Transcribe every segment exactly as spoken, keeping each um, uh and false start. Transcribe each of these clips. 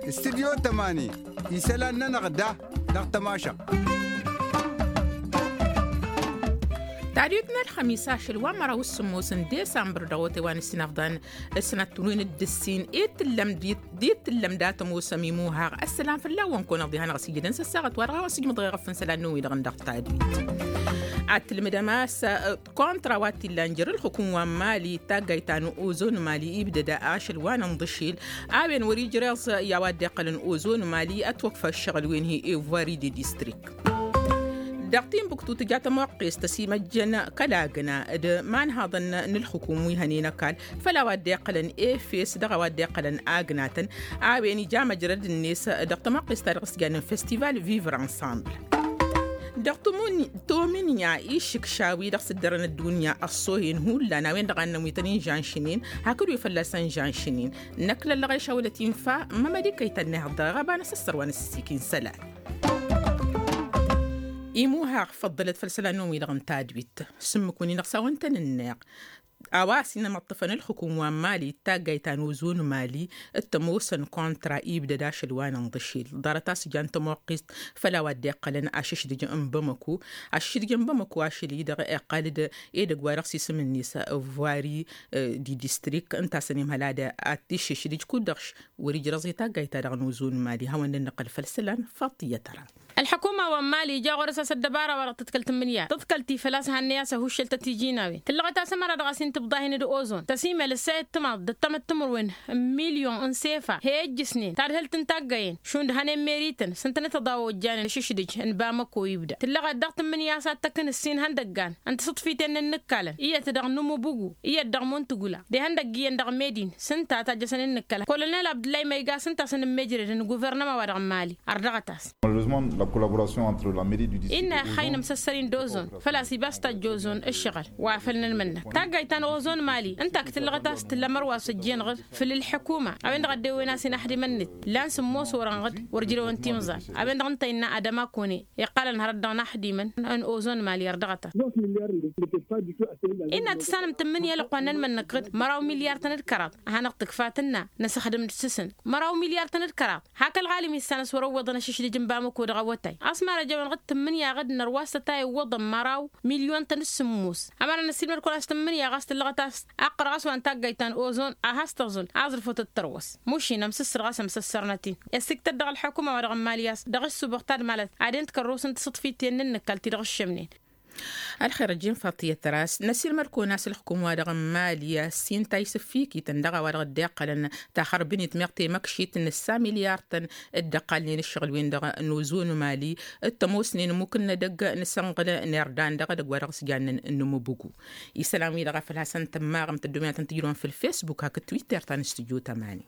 Studyo tămani isălan-nănăɣ da dăɣ-tămašăɣt. Tadwit n-ălxămis ašăl wa n-măraw s-sǝmmos n-disambăr dăɣ-otay wa n-ǝssin afḍan ăsnat turwen d-ǝssin i-tǝllăm d-i-tǝllăm dat-ămoosăm imuhăɣ. Ăssălan fălla-wăn kăwăn-ăɣ diha n-ăɣ s-ijădăn s-ăssaɣăt wa dăɣ-a-wa s-ijmǝḍ ɣef n-isălan n-wi-dăɣ n-dăɣ-tadwit. Ad-tǝlmǝdăm a-s kăwăn-tăra wa t-illan jer-ǝlxǝkum wa n-mali taggayt ta n-ozon mali ibdăd ašăl wa n-inḍǝšil a-wen wăr-ijreẓ i-a-wa dd-iqqălăn ozon mali ătwăkfa ǝššăɣǝl-wen hi-evoiri de distrik. Dăɣ-timbuktu tǝja tămoqqest ăsimăjjăn kăl-agna d-imanhaḍăn n-ǝlxǝkum wi hănen ăkall făll-a-wa dd-iqqălăn efes dăɣ-a-wa dd-iqqălăn agnatăn a-wen ija măjrăd-net dăɣ-tămoqqest-ta-dăɣ s-jannen festival vivre ensemble. Dăɣ-tomǝnya išǝkša-wi-dăɣ s-ǝddărăn ăddunya ăṣṣohen hullan a-wen-dăɣ a ǝnnăn wi tăn-inžanšǝnen hakd wi fălla-săn žanšǝnen. Năkk lăllăɣ išawălăt infa mămăd-i kăy-tăn-nehăḍ dăɣ-ɣăba n-asăssăr wa n-asǝssikin isălan. Imuhăɣ făḍḍălăt făll-isălan-năwăn-wi-dăɣ n-tadwit. S-ǝmmǝk-win-i-dăɣ s-a-wa ǝntăn-ǝnneɣ a-wa s-inămăṭṭăfăn ǝlxǝkum wa n-mali d-taggayt ta n-ozon mali d-tămoosăn kontra ibdăd ašăl wa n-inḍǝšil ḍarăt a-s jan tămoqqist făll-a-wa dd-iqqălăn ašǝšdǝj n-bamăko. Ašǝšdǝj n-bamăko ašăl-i-dăɣ iqqal-dd edăgg wa dăɣ-s isǝm-net ăvvari di distrik ǝnta a-s ănimhăl ad-t-išǝšdǝj kud-dăɣ wăr-ijrăẓ i-taggayt-ta-dăɣ n-ozon mali hawăn-dd-nǝqqǝl făll-isălan. Faḍt iyyăt ăra. Ălḥăkuma wa n-mali ija ɣur-s a-s ăddăbara wa dăɣ-tǝḍkăl tǝmmǝnǝya tǝḍkăl-ti făl-a-s hannăy a-s ăhuššăl tăt-ijinawen tǝllăɣăt a-s ămăra dăɣ-a-s intǝbḍahen d-ozon tăsimel ǝssa i-ǝttǝmaḍ d-ǝttămăt timǝrwen n-milyon n-sefa he-ijjǝsnen tadhǝlt n-taggayen šund hănen merităn s-ǝntănăt ăḍa ojjanen ašǝšdǝj n-bamăko ibda tǝllăɣăt dăɣ-tǝmmǝnǝya a-s ad-t-ăkk n-ǝssin ihăndăggan n-tisǝḍfiten n-inǝkkalăn iyyăt dăɣ-nǝmubǝgu iyyăt dăɣ-muntǝgula d-ihăndăgg iyyăn dăɣ-medin s-ǝnta a tajjăsăn innǝkkălăn kolonel abdǝllay ma iga s-ǝnta a-s ănǝmmejrăd n-guvărnăma wa dăɣ-mali. Ărdăɣăt-as. Malheureusement la collaboration entre la mairie du district innă ixxayǝn amsăssăr-in d-ozon făl-a-s ibas tajj ozon ǝššăɣǝl wa făl n-ănmănnăk taggayt ta n-ozon mali ǝnta a ǝktǝllăɣăt a-s tǝlla mărwa s-ăjjeenăɣ-dd făll-ǝlḥǝkuma a-wen-dăɣ a dd-ewwen a-s inăxdimăn-net. Lan sǝmmos orănɣăd wăr jrewăn timẓal a-wen-dăɣ ǝnta innă adăma kăwăn-e iqqalăn hărăt dăɣ-inaxdimăn n-ozon mali ărdăɣăt-as. Innă ad-tǝssanăm tǝmmǝnǝya ălwăqq wa n-ănmănnăk-dd măraw milyar-tăn d-kăraḍ a hanăɣ-tǝkfa tǝnna năsăxdǝm-dd s-săn măraw milyar-tăn d-kăraḍ. Hak ălɣalim issan a-s wăr-ăwwăḍăn ašǝšdǝj n-bamăko dăɣ-awătay a-s marăjăwăn ɣǝd tǝmmǝnǝya ɣǝd n-ărwas tătay ǝwwăḍăn măraw milyon-tăn d-sǝmmos. Ămăra năssiilmăd kăwăn-as tǝmmǝnǝya ɣas tǝllăɣăt a-s ăqqărăɣ a-s wa n-taggayt ta n-ozon a has-tăẓul aẓrǝfot d-tărwăs. Mušin ămsǝssǝr ɣas ămsăssărnăt-in i-ăssiktăt dăɣ-ălḥukuma wa dăɣ-n mali a-s dăɣ-ăssubăɣ tadmalăt ad-en-tǝkărrosăn tisǝḍfiten n-inǝkkal ti-dăɣ ǝššămnen. Ălxer ăjjeen faḍt iyyăt ăras năsiilmăd-kăwăn a-s ălxukum-wa-dăɣ n-mali a-s inta isǝffikităn dăɣ-a-wa dăɣ-dd-iqqălăn taxărbǝnit meɣ temăkšit n-ǝssa milyar-tăn dd-ăqqalnen ǝššăɣǝl-wen-dăɣ n-ozon mali d-tămoosnen ămmuk n-edăgg n-isănɣǝl n-irdan dăɣ-edăgg wa dăɣ-s jannen n-imǝbǝgu. Isălan-wi-dăɣ a făl hasăn-tămmaɣăm tăddomen ad-tăn-tǝjrăwăm făll-fesbuk hakd twitter ta n-studyo tămani.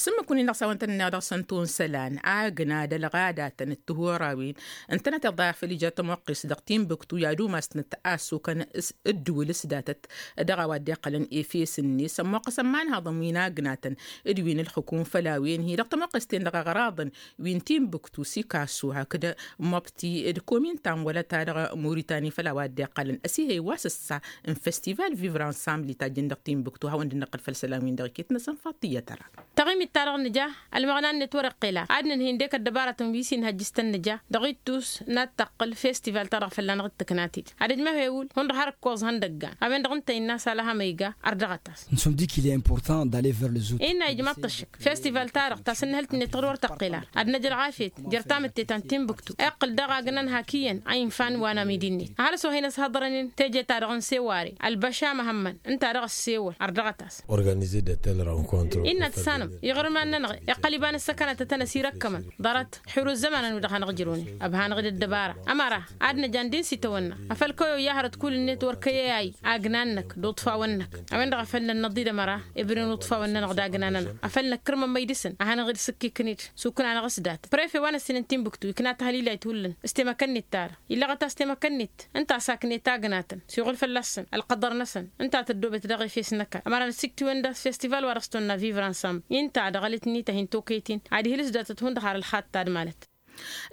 S-ǝmmǝk-win-dăɣ s-a-wa ǝntăneḍ dăɣ-săn tonsălan agna d-ălɣadatăn d-tihorawen ǝntănăt iḍa făll-ija tămoqqest dăɣ-timbuktu i-ad-umasnăt a ăssukăn ǝddǝwǝl s-datăt dăɣ-a-wa dd-iqqălăn efes-net ămmoqqăsăn imanhaḍăn wi n-agnatăn d-wi n-ǝlxǝkum făll-a-wen-hi dăɣ-tămoqqest-en-dăɣ aɣraḍăn wi n-timbuktu sikasu hakd mobti d-komin ta n-wălăta dăɣ-muritani făll-a-wa dd-iqqălăn ăsihăy wa s-ǝssa n-festival vivre ensemble itajjăn dăɣ-timbuktu hawăn-dd-nǝqqǝl făll-isălan-win-dăɣ iket-năsăn faḍt iyyăt ăra. Taɣimit-ta-dăɣ nǝja ălmăɣna-net wăr-iqqel a ad-nǝnhǝy ǝndek ăddăbarătăn wi s-inhăjj s-tăn-nǝja dăɣ-ittus n-ad-tăqqǝl festival-ta-dăɣ fălla-năɣ d-tǝknatit ad-ǝjmăhewǝl hundăɣ har ǝkkoẓ ihăndăggan. A-wen-dăɣ ǝnta innă a-s alăhăm a iga ărdăɣăt-as. N-sum dik il-e important d'aller vers les autres. Innă ijmăḍ-t ăššăk festival-ta-dăɣ ta s-ǝnnihǝlt-net dăɣ-dd wăr tăqqel ar ad-năj ălɣafyăt jer-tamǝtte ta n-timbuktu iqqǝl daɣ agnăn hak iyyăn a infan wa n-amidi-net ăhalǝs wa hin-ăshăḍrănen teje-ta-dăɣ n-seware ălbăša măhămmăn ǝnta-dăɣ ăssewăl ărdăɣăt-as. Organize de telle rencontre innă tǝssanăm iɣrǝman-nănăɣ iqqăl iba n-ǝssăkănăt ad-tăn-ăsirăkkămăn ḍarăt. Xir ǝzzămanăn wi-dăɣ hanăɣ-ǝjrăwnen ăbhanăɣ-dd ăddăbara ămăra ad-năj andi n-sitawănna afăl kăy-oyyahărăt kull-net wăr kăy-e-ayy agnan-năk d-uṭfawăn-năk. A-wen-dăɣ a făl nănnăḍ-dd ămăra ibren uṭfawăn-nănăɣ d-agnan-nănăɣ a făl năkkărmămmăy dăɣ-săn a hanăɣ-dd-sǝkkiknit s-ukǝn-anăɣ s-dat prefe wa n-ăssin n-timbuktu ikna tahălilayt hullan s-temăkănnit-ta-dăɣ illăɣăt-as temăkănnit ǝnta a saknet agnatăn s-iɣul fălla-săn ălqăḍăr-năsăn ǝnta a tăddobet dăɣ-efes n-ăkall ămăra năsiktǝwăn d-as festival wa dăɣ-s tonna vivre ensemble. Inta dăɣ-alăt-nit a hin-toketin ad-ihǝl s-datăt hundăɣ har ălxaḍ tadmalăt.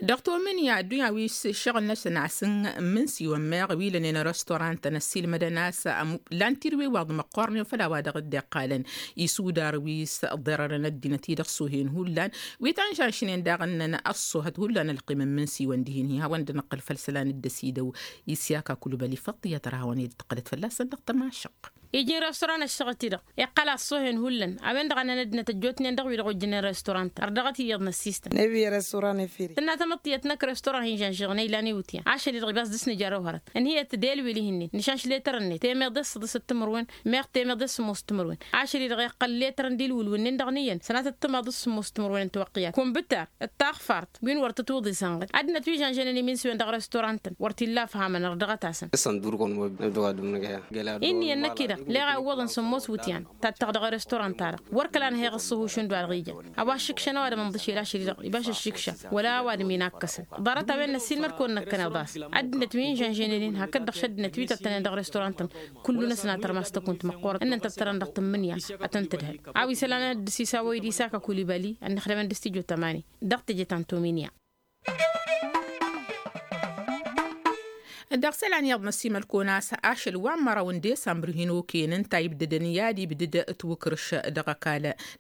Dăɣ-tomǝnǝya ăddunya wi s-ǝššăɣǝl-năsăn a-s n-imǝnsiwăn meɣ wi lănen restorantăn ăssiilmădăn a-s lan tirǝwe wa dd-măqqornen făll-a-wa dăɣ-dd-iqqalăn isudar wi s-ḍerărăn ăddinăt-i-dăɣ s-ohen hullan wi tăn-žănšnen daɣ ǝnnăn ăṣṣohăt hullan ălqim n-imǝnsiwăn dihin-hi hawăn-dd-năqqǝl făll-isălan dd-ăsidăw. Isyak akulbăli făṭṭiyăt ăra hawăn-dd-tǝqqǝlăt fălla-săn dăɣ-tămašăq. Iji n-restaurant ăššăɣăt-i-dăɣ iqqăl a ăṣṣohen hullan a-wen-dăɣ a năn ăddinăt ăjjootnen dăɣ-wi-dăɣ ojjănen restaurant ărdăɣăt iyyăḍ n-ăssistăn. Nebiye restaurant efiri tǝnna tamăḍt tiyyăt năkk restaurant hin-žănžăɣnen ilan iwǝtyan ašăl-i-dăɣ ibas dăr-s nǝjăr ăwhărăt ǝnhǝyăt d-elwǝl ihǝnnin nǝšanš letăr-net temeḍe s-săḍis d-timǝrwen meɣ temeḍe s-sămoos timǝrwen. Ašăl-i-dăɣ iqqăl letăr n-dilwǝl wǝnnin-dăɣ n-iyyăn sănatăt timaḍ s-sămoos timǝrwen n-tiwăqqiyat kumbǝtar d-taɣfart. Wi n-wăr tǝtwǝḍ isănɣăd ăddinăt wi žănžănen iminsiwen dăɣ-restaurant-tăn wăr t-illa ăfhamăn ărdăɣăt-asăn. Ǝssăn dur-kăwăn. Inn'-iyyăn năkk-i-dăɣ leɣ a iwwăḍăn sămmos wǝtyan tattăɣ dăɣ-restaurant-ta-dăɣ wăr kăla nǝhăyăɣ ǝṣṣăhušăn d-wa-dăɣ ijăn a-wa ǝššǝkšăn ăwadǝm ǝnḍǝšel ašăl-i-dăɣ ibas ǝššǝkša wăla ăwadǝm inakkăsăn. Ḍarăt-a-wen năssiilmăd-kăwăn năkkăneḍ a-s ăddinăt wi n-žănžăynen-in hakd-dăɣ šăddinăt wi tăttănen dăɣ-restaurant-tăn. Kullu-năsăn a tărmas tăkunt măqqoorăt ǝnnăn tăttărăn dăɣ-tǝmmǝnǝya. Ad-tăn-tǝdhăl a-wa isălan ad-dd-sisa wa idisa kăkulibali ănnăxdămăn d-stijo tămani dăɣ-teje ta n-tomǝnǝya. Dăɣ-isălan iyyăḍ năsimăl-kăwăn a-s ašăl wa n-măraw n-desambăr hin-okăyăn ǝnta ibdădăn i-ad-ibdăd tiwǝkrǝš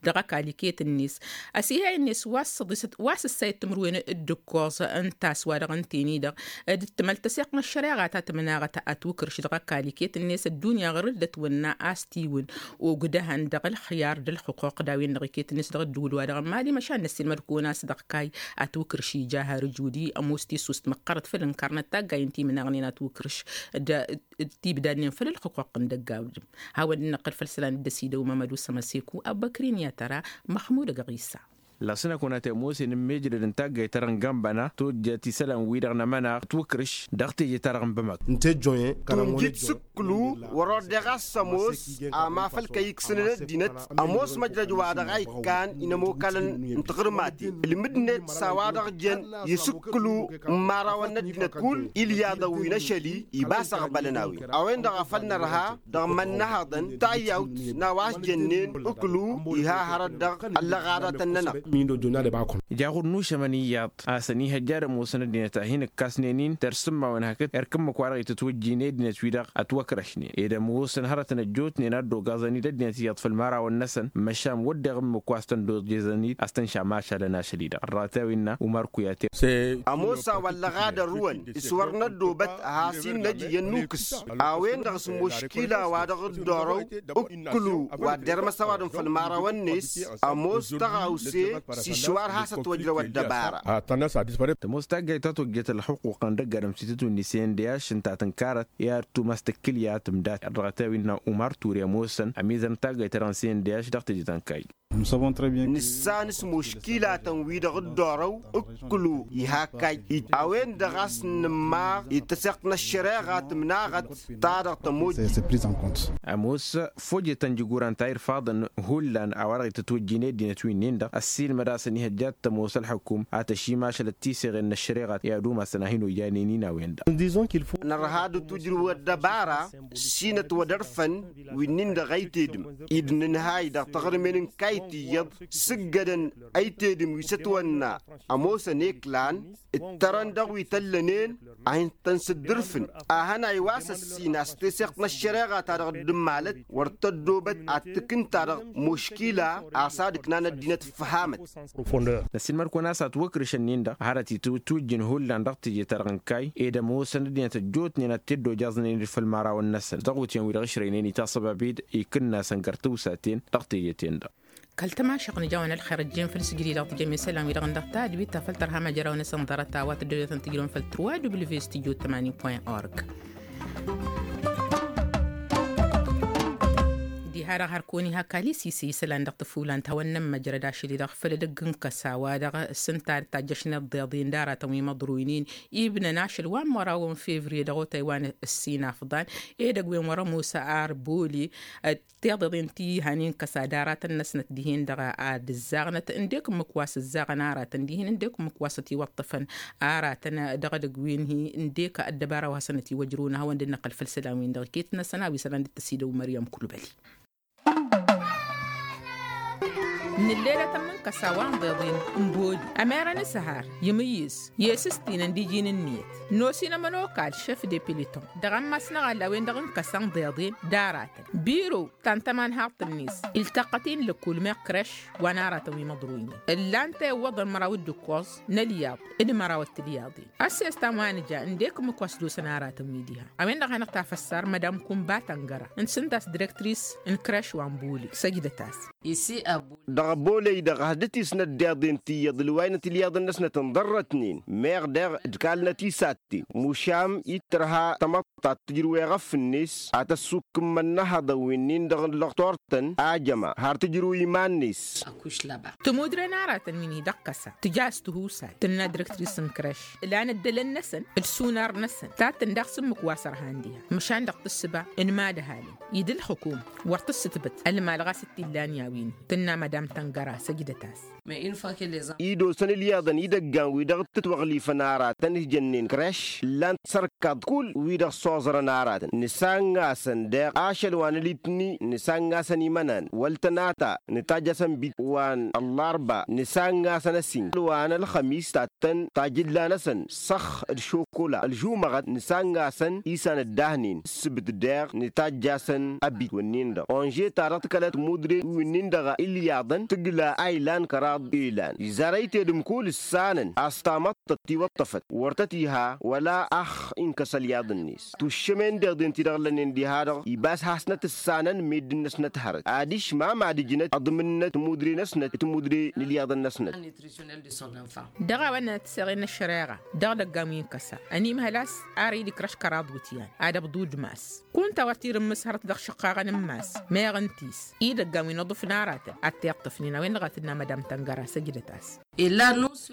dăɣ-ăkall iket-net. Ăsihăy-net wa s-săḍisăt wa s-ǝssayăt timǝrwen d-ǝkkoẓ ǝnta a-s wa dăɣ-ǝnta-en-i-dăɣ dd-tǝmăl tăseɣt n-ăššăreɣa ta tǝmnaɣăt. Ătwǝkrǝš dăɣ-ăkall iket-net ăddunya ɣur-dd ătwănna a-s tiwǝn ogdăhăn dăɣ-ălxǝyar d-ălxuquq d-a-wen-dăɣ iket-net dăɣ-ăddǝwǝl-wa-dăɣ n-mali măšan năssiilmăd-kăwăn a-s dăɣ-kayy. Ătwǝkrǝš ija har ǝjud-i ămoos tisust măqqărăt făll-ǝnkarnăt taggayen ti imnaɣnen ătwǝkrǝš d-tibdadnen făll-ălxuquq n-dăgg-awdǝm. Hawăn-dd-năqqǝl făll-isălan dd-ăsidăw mămădu sămăseku ăbbăkrin i-ad-tăra măxmud ăgg-ɣisa. Lasǝnăkăwăn a tămoos i-inǝmmejrăd n-taggayt ta dăɣ-n gambana tojjăt isălan-wi-dăɣ n-amănaɣ ătwǝkrǝš dăɣ-teje ta dăɣ-n bămăk. Ǝnta ejjoyăn kăramonet ejjoyăn. Ǝkkǝlu wăr-ord eɣ a-s ămoos ama făl kăy-iksǝnăn ăddinăt ămoos măjrăj wa dăɣ-a ikkan inămokalăn n-tiɣǝrmaten ǝlmǝdnet s-a-wa-dăɣ jăn isǝkkǝlu n-imărawăn n-ăddinăt kull ilyaḍăn wi n-ašăl-i. Ibas aɣbălăn a-wen a-wen-dăɣ a făl nărha dăɣ-imănnăhăḍăn tayyawt n-a-wa s-jănnen ǝkkǝlu iha hărăt dăɣ-ăllăɣaḍătăn-nănăɣ. Ija ɣur-nušămăn iyyăḍ a-s ănihăjja ad-ămoosăn ăddinăt a hin-ǝkkasnen-in tersǝmmawen hakd erk ǝmmǝk-wa-dăɣ itǝtwǝjjin i-ăddinăt-wi-dăɣ ătwăkrăšnen ed ămoosăn hărătăn ăjjootnen a dd-ogaẓăn-dd ăddinăt iyyăḍ făll-imărawăn-năsăn măšan wădden ǝmmǝk wa s-tăn-dd-oẓeẓăn-dd a-s tăn-šamašalăn ašăl-i-dăɣ ărratawin-na umar kuyate. Ămoos a-wa ăllăɣadăn rǝwăn s-wăr năddoobăt ad-has-in-năj iyyăn nukǝs a-wen-dăɣ s-muškila wa dăɣ-dd-orăw ǝkkǝlu wa dd-ermăs ăwadǝm făll-imărawăn-net. Ămoos tăɣawse s-išwar has-ătwăjrăw ăddăbara. Tămoos taggayt ta tojjet ălxuqquqăn dăgg-adǝm s-itǝtwǝnni s-e n d-e-ašǝn ta tǝnkarăt i-ad-tumas tǝkkǝlya tǝmdat ărdăɣăt a-wi n-na umar ture ămoosăn ămizăr n-taggayt ta dăɣ-n s-e n d-e-ašǝn dăɣ-teje ta n-kayy. Nǝssan s-muškilatăn-wi-dăɣ dd-orăw ǝkkǝlu iha kayy. A-wen-dăɣ a-s nǝmmaɣ i-tăseɣt n-ăššăreɣa tǝmnaɣăt ta dăɣ-tămojjit. Ămoos fojetăn jiguran ta irfaḍăn hullan a-wa-dăɣ itǝtwǝjjin i-ăddinăt wi-nin-dăɣ ăssiilmăd a-s ănihăjja ad-tămoos ălxukum ad-tăšimašălăt tiseɣen n-ăššăreɣa i-ad-umasăn a hin-ojanen-in a-wen-dăɣ. Nărha d-tujrǝw ăddăbara s-inătwădărfăn wi-nin-dăɣ ăytedǝm-i d-nǝnhay dăɣ-taɣrǝmen n-kayt iyyăḍ s-ǝggădăn ăytedǝm wi s-ătwănna ămoosăn eklan ǝttărăn dăɣ-wi tăllănen a hin-tăn-sǝddǝrfǝn. Ahănay wa s-ăssin a-s teseɣt n-ăššăreɣa ta dăɣ-dd-ǝmmalăt wăr tăddoobăt ad-tǝkǝn-ta-dăɣ muškila a-s ad-ǝknan ăddinăt ǝffăhamăt. Năsiilmăd-kăwăn a-s ătwăkrǝšăn-nin-dăɣ a hărăt itwǝjjǝn hullan dăɣ-teje-ta-dăɣ n-kayy ed ămoosăn ăddinăt ăjjootnen ad-t-dd-ojaẓnen-dd făll-imărawăn-năsăn dăɣ-iwǝtyan-wi-dăɣ ǝšrăynen i-taṣăbabed ikǝnnasăn găr tǝwsaten dăɣ-teje-ten-dăɣ. Kăl-tămašăɣ nǝjawăn ălxer ăjjeen făll-sǝjǝri dăɣ-tǝjăm isălan-wi-dăɣ n-dăɣ-tadbit ta făl tărha măjrawăn-năsăn ḍarăt a-wa tăddăwlătăn tǝjrăwăn făll-trois w sijud tămanin point org. Diha-dăɣ har kăwăn-iha kali sise isălan dăɣ-tăfulan ta hawăn-nămmăjrăd ašăl-i-dăɣ făll-edăgg n-kăsa wa dăɣ-s ǝnta ad-tajjăšnet ḍeḍen d-aratăn wi măḍroynen ibnăn ašăl wa n-măraw n-fevriye dăɣ-otay wa n-ǝssin afḍan edăgg-wen wăr-ămoos arboli. Tiḍeḍen ti hanen kăsa d-aratăn-năsnăt dihen-dăɣ ad-ǝzzaɣnăt ǝndek ǝmmǝk wa s-ǝzzaɣăn aratăn dihen ǝndek ǝmmǝk wa s-ătiwăṭṭăfăn aratăn dăɣ-edăgg wen-hi ǝndek ăddăbara wa hasăn-ătiwăjrăwăn a hawăn-dd-năqqăl făll-isălan-win-dăɣ iket-năsăn a-wa isălan dd-tăsidăw măryăm kulbăli. N-ǝllelatăn n-kăsa wa n-ḍeḍen n-boli ămerăn s-har imǝyyǝs i-s s-tinăn d-iji n-ǝnniyăt n-osin ămănokal šef de piliton dăɣ-ammas n-aɣălla wen-dăɣ n-kăsa n-ḍeḍen d-aratăn biro ta n-tămanhaḍt-net iltăqqăt-in lăkul meɣ krăš wa n-aratăn wi măḍroynen ǝllan-t ewwăḍăn măraw d-ǝkkoẓ n-ălyaḍ d-măraw d-tilyaḍen. Ăssestan wa nǝja ǝndek ǝmmǝk wa s-dosăn aratăn wi diha a-wen-dăɣ hanăɣ-tafăssar madam kunba tăngăra n-sǝnta s-direktris n-krăš wa n-boli săjdăt-as. Dăɣ-boley-dăɣ has-dd-tisnăt deḍen tiyyăḍ ǝlwaynăt ilyaḍăn-năsnăt ǝnḍărrătnen meɣ deɣ d-kalnăt isatten mušam ittărha tamăḍt ta t-tǝjrǝw eɣăf-net ad-tăssukǝmmăn inăhăḍăn wi-nin-dăɣ n-lăɣtor-tăn ajăma har tǝjrǝw iman-net. Tămudre n-aratăn wi n-hi-dăɣ kăsa tǝja s-tihusay tǝnna direktris n-krăš ǝlan ăddălăn-năsăn d-sunar-năsăn tattăn daɣ s-ǝmmǝk wa s-ărhan diha măšan dăɣ-tǝssǝba n-imadhalen i-dd-ǝlxǝkum wăr tǝssǝtbǝt ălmal ɣas t-illan i-a-wi-n-hi tǝnna madam tăngăra săjdăt-as. Idosăn ǝlyaḍăn idăggan wi-dăɣ t-ǝtwăɣlifăn aratăn s-jănnen krăš ǝllan-t sărkaḍ kull wi-dăɣ s-oẓrăn aratăn nǝsann'-asăn deɣ ašăl wa n-alitni nǝsann'-asăn imănan wăl tănata nǝtajj'-asăn bit wa n-ăllarba nǝsann'-asăn ăssin wa n-ălxămis tattăn tajǝlla n-asăn săxx d-šokola ălžumăɣăt nǝsann'-asăn isan ǝddahnen ǝssǝbǝt deɣ nǝtajj'-asăn ăbit wǝnnin-dăɣ onže-ta-dăɣ tǝkălăt mudre wǝnnin-dăɣ ilyaḍăn tǝgla a ilan kăraḍ ilan izarăy tedǝm kull ǝssanăn a-s tamăḍt tăt-tiwăṭṭăfăt wăr tăt-iha wăla ax inkăs ălyaḍ-net tuššămen deḍen ti-dăɣ lănnen diha-dăɣ ibas hasnăt ǝssanăn meddǝn-năsnăt hărăt adiš ma mad-ǝjnăt ăḍmǝnnăt timudre-năsnăt timudre n-ilyaḍăn-năsnăt. Dăɣ-a-wa ǝnnănăt tiseɣen n-ăššăreɣa dăɣ-idăggan wi n-kăsa ănimhăl a-s ar id-ikrăš kăraḍ wǝtyan ad-ăbḍu d-mass kunta wăr t-irǝmmǝs hărăt dăɣ-išǝqqaɣăn n-mass meɣ ǝnta-s idăggan wi n-aḍǝf n-aratăn ad-t-iṭṭăfnen a-wen-dăɣ a tǝnna madam tăngăra săjdăt-as.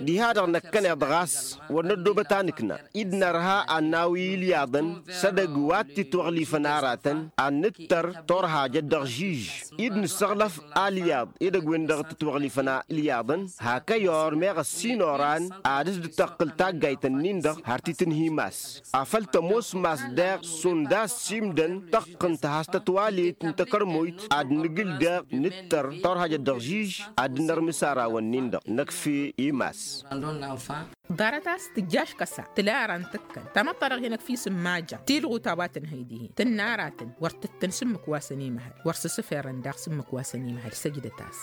Diha-dăɣ năkkăneḍ ɣas wăr năddoobăt a nǝkna id-nărha ad-nawi ilyaḍăn s-edăgg wa t-itwăɣlifăn aratăn ad-nǝttăr turhajăt dăɣ-žiž id-nǝssăɣlăf alyaḍ edăgg-wen-dăɣ t-itwăɣlifăn ilyaḍăn hak ăyor meɣ ăssiin oran ad-s-dd-tăqqǝl taggayt-ǝnnin-dăɣ har t-itǝnhǝy mass afăl tămoos mass deɣ šund a-s s-imdăn tăqqǝnt has-tătwalet n-takărmoyt ad-nǝgǝl deɣ nǝttăr turhajăt dăɣ-žiž ad-dd-nărmǝs arawăn-nin-dăɣ năkf'-e i-mass. Ḍarăt a-s tǝjjaš kăsa tǝla ara n-tǝkkăn tamăḍt-ta-dăɣ hin-ăkf'-i s-ǝmmajăɣ tilɣut a-wa tǝnhăy dihen tǝnna aratăn wăr tǝttǝn s-ǝmmǝk wa săn imhăl wăr s-ǝsǝferăn daɣ s-ǝmmǝk wa săn imhăl săjdăt-as.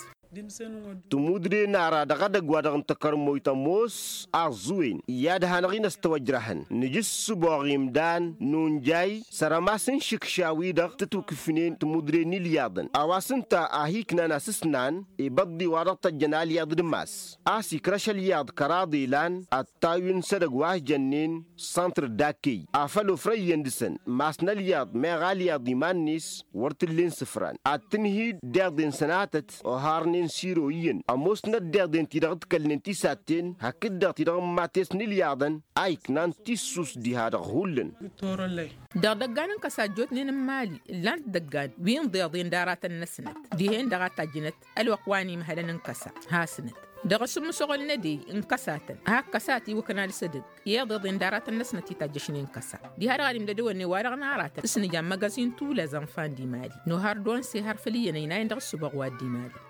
Timudre n-ara dăɣ-edăgg wa dăɣ-n takărmoyt ămoos aẓẓǝwen i-ad-hanăɣ-in ăstăwăjrăhăn nǝja ǝssǝboɣ imdan nunjay săr-ămas n-išǝkša-wi-dăɣ tǝtwǝkǝfnen timudre n-ilyaḍăn a-wa s-ǝnta a hi-iknan asǝsnan ibăḍḍi wa dăɣ-tăjjăn alyaḍ d-mass a-s ikrăš ălyaḍ kăraḍ ilan ad-tawǝn s-edăgg wa s-jănnen săntr d-akkey afăl ofrăyyăn dăɣ-săn mass n-ălyaḍ meɣ alyaḍ iman-net wăr t-ǝllen sǝfran ad-tǝnhǝy d-iḍen sănatăt oharnen s-iro iyyăn ămoosnăt d-iḍen ti-dăɣ ǝḍkălnen tisatten hakd-dăɣ ti-dăɣ n-imates n-ilyaḍăn a iknan tissust diha-dăɣ hullan. Dăɣ-idăggan n-kăsa ăjjootnen n-imali ǝllan-t idăggan wi n-iḍeḍen d-aratăn-năsnăt dihen-dăɣ a tajjǝnăt ălwăqq wa n-imhălăn n-kăsa hasnăt dăɣ-asǝmmǝsăɣăl n-edey n-kăsatăn hak kăsa a tiwǝknal s-edăgg i-iḍeḍen d-aratăn-năsnăt itajjăšnen kăsa diha-dăɣ ad-imdădăwănnen wa-dăɣ n-aratăn s-nǝja n-magazin tulăzăn fan d-imali nohar d-onse har făll-iyyăn ăynayăn dăɣ-ǝssǝboɣ wa dd-imali.